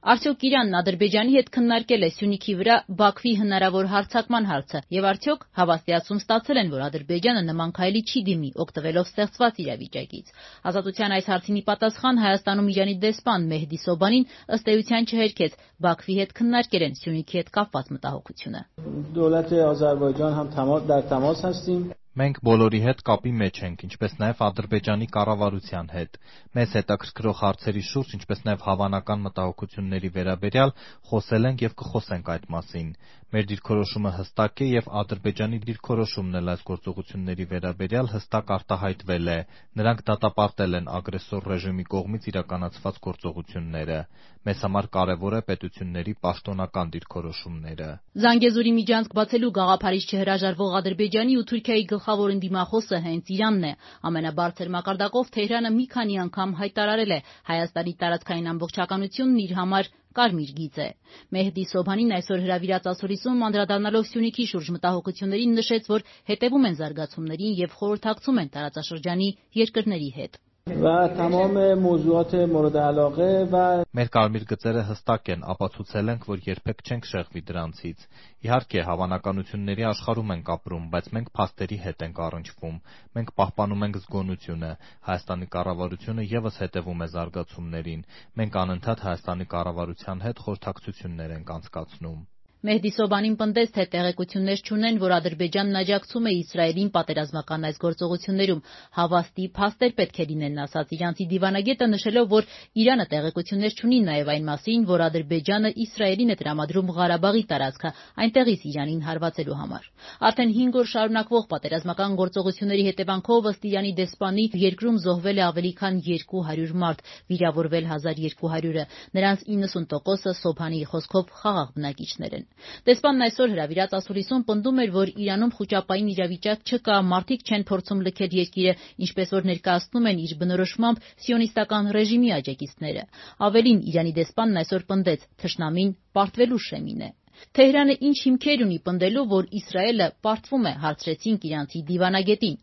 Արդյոք Իրանն Ադրբեջանի հետ քննարկել է Սյունիքի վրա Բաքվի հնարավոր հարձակման հարցը եւ արդյոք հավաստիացում ստացել են, որ Ադրբեջանը նման քայլի չի դիմի, օգտվելով ստեղծված իրավիճակից։ Ազատության այս հարցին ի պատասխան Հայաստանում Իրանի դեսպան Մեհդի Սոբանին ըստ էության չհերքեց Բաքվի հետ քննարկել են Սյունիքի հետ կապված մտահոգությունը։ Դոլետ Ադրբեջան համ դար տամաս հաստիմ Մենք բոլորի հետ կապի մեջ ենք, ինչպես նաև Ադրբեջանի կառավարության հետ։ Մեզ հետաքրքրող հարցերի շուրջ, ինչպես նաև հավանական մտահոգությունների վերաբերյալ խոսել ենք եւ կխոսենք այդ մասին։ Մեր դիրքորոշումը հստակ է եւ Ադրբեջանի դիրքորոշումն էլ այս գործողությունների վերաբերյալ հստակ արտահայտվել է։ Նրանք դատապարտել են ագրեսոր ռեժիմի կողմից իրականացված գործողությունները։ Մեզ համար կարևոր է պետությունների պաշտոնական դիրքորոշումները։ Զանգեզուրի միջանցք բացելու գաղափարից չհրաժարվող Ադրբեջանի ու Թուրքիայի գլխավոր ընդդիմախոսը հենց Իրանն է։ Ամենաբարձր մակարդակով Թեհրանը մի քանի անգամ հայտարարել է Հայաստանի տարածքային ամբողջականությունն իր համար կարմիր գիծ է։ Մեհդի Սոբանին այսօր հրավիրած ասուլիսում անդրադառնալով Սյունիքի շուրջ մտահոգություններին նշեց, որ հետևում են զարգացումներին եւ խորհրդակցում են տարածաշրջանի երկրների հետ։ Մեր կարմիր գծերը հստակ են, ապացուցել ենք, որ երբեք չենք շեղվի դրանցից։ Իհարկե, հավանականությունների աշխարհում ենք ապրում, բայց մենք փաստերի հետ ենք առնչվում։ Մենք պահպանում ենք զգոնությունը։ Հայաստանի կառավարությունը ևս հետևում է զարգացումներին։ Մենք անընդհատ Հայաստանի կառավարության հետ խորհրդակցություններ ենք անցկացնում։ Մեհդի Սոբանին պնդեց, թե տեղեկություններ չունեն, որ Ադրբեջանն աջակցում է Իսրայելին պատերազմական այս գործողություններում։ Հավաստի փաստեր պետք է լինեն, ասաց իրանցի դիվանագետը, նշելով, որ Իրանը տեղեկություններ չունի նաև այն մասին, որ Ադրբեջանը Իսրայելին է տրամադրում Ղարաբաղի տարածքը, այնտեղից Իրանին հարվածելու համար։ Արդեն 5 օր շարունակվող պատերազմական գործողությունների հետևանքով ըստ Իրանի դեսպանի երկրում զոհվել է ավելի քան 200 մարդ, վիրավորվել 1200-ը։ Նրանց 90%-ը Սոբհանի խոսքով խաղաղ բնակիչներ են։ Դեսպանն այսօր հրավիրած ասուլիսում պնդում էր, որ Իրանում խուճապային իրավիճակ չկա, մարդիկ չեն փորձում լքել երկիրը, ինչպես որ ներկայացնում են իր բնորոշմամբ սիոնիստական ռեժիմի աջակիցները։ Ավելին, Իրանի դեսպանն այսօր պնդեց, թշնամին պարտվելու շեմին է։ Թեհրանը ինչ հիմքեր ունի պնդելու, որ Իսրայելը պարտվում է, հարցրեցինք իրանցի դիվանագետին։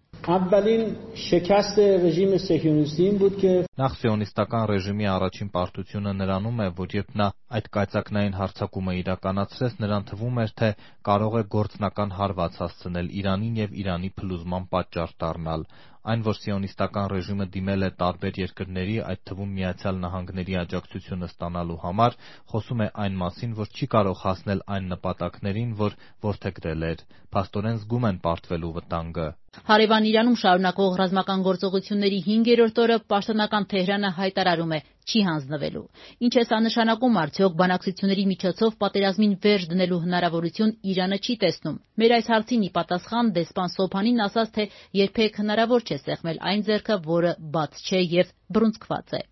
Նախ սիոնիստական ռեժիմի առաջին պարտությունը նրանում է, որ երբ նա այդ կայծակնային հարձակումը իրականացրեց, նրան թվում էր, թե կարող է գործնական հարված հասցնել Իրանին եւ Իրանի փլուզման պատճառ դառնալ։ Այն, որ սիոնիստական ռեժիմը դիմել է տարբեր երկրների, այդ թվում Միացյալ Նահանգների աջակցությունը ստանալու համար, խոսում է այն մասին, որ չի կարող հասնել այն նպատակներին, որ որդեգրել էր։ Փաստորեն զգում են պարտվելու վտանգը։ Հարևան Իրանում շարունակվող ռազմական գործողությունների 5-րդ օրը պաշտոնական Թեհրանը հայտարարում է չի հանձնվելու։ Ինչ է սա նշանակում, արդյոք բանակցությունների միջոցով պատերազմին վերջ դնելու հնարավորություն Իրանը չի տեսնում։ Մեր այս հարցին ի պատասխան դեսպան Սոբհանին ասաց, թե երբեք հնարավոր չէ սեղմել այն ձեռքը, որը բաց չէ եւ բռունցքված է։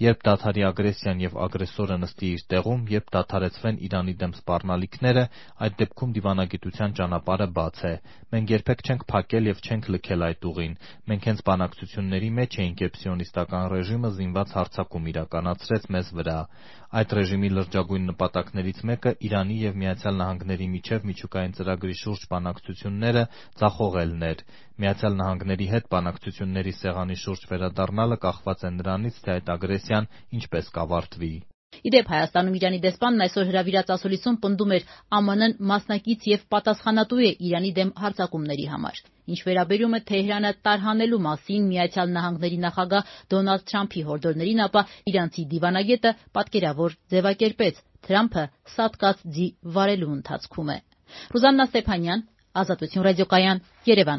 Երբ դադարի ագրեսիան եւ ագրեսորը նստի իր տեղում, երբ դադարեցվեն Իրանի դեմ սպառնալիքները, այդ դեպքում դիվանագիտության ճանապարհը բաց է։ Մենք երբեք չենք փակել եւ չենք լքել այդ ուղին։ Մենք հենց բանակցությունների մեջ էինք, երբ սիոնիստական ռեժիմը զինված հարձակում իրականացրեց մեզ վրա։ Այդ ռեժիմի լրջագույն նպատակներից մեկը Իրանի եւ Միացյալ Նահանգների միջև միջուկային ծրագրի շուրջ բանակցությունները ձախողելն էր։ Միացյալ Նահանգների հետ բանակցությունների սեղանի շուրջ վերադառնալը կախված է նրանից, թե այդ ագրեսիան ինչպես կավարտվի։ Իդեպ Հայաստանում Իրանի դեսպանն այսօր հրավիրած ասուլիսում պնդում էր ԱՄՆ-ն մասնակից եւ պատասխանատու է Իրանի դեմ հարձակումների համար։ Ինչ վերաբերում է Թեհրանը տարհանելու մասին Միացյալ Նահանգների նախագահ Դոնալդ Թրամփի հորդորներին, ապա իրանցի դիվանագետը պատկերավոր ձևակերպեց. Թրամփը սատկած ձի վարելու ընթացքում է։ Ռուզաննա Ստեփանյան, Ազատություն ռադիոկայան, Երևան։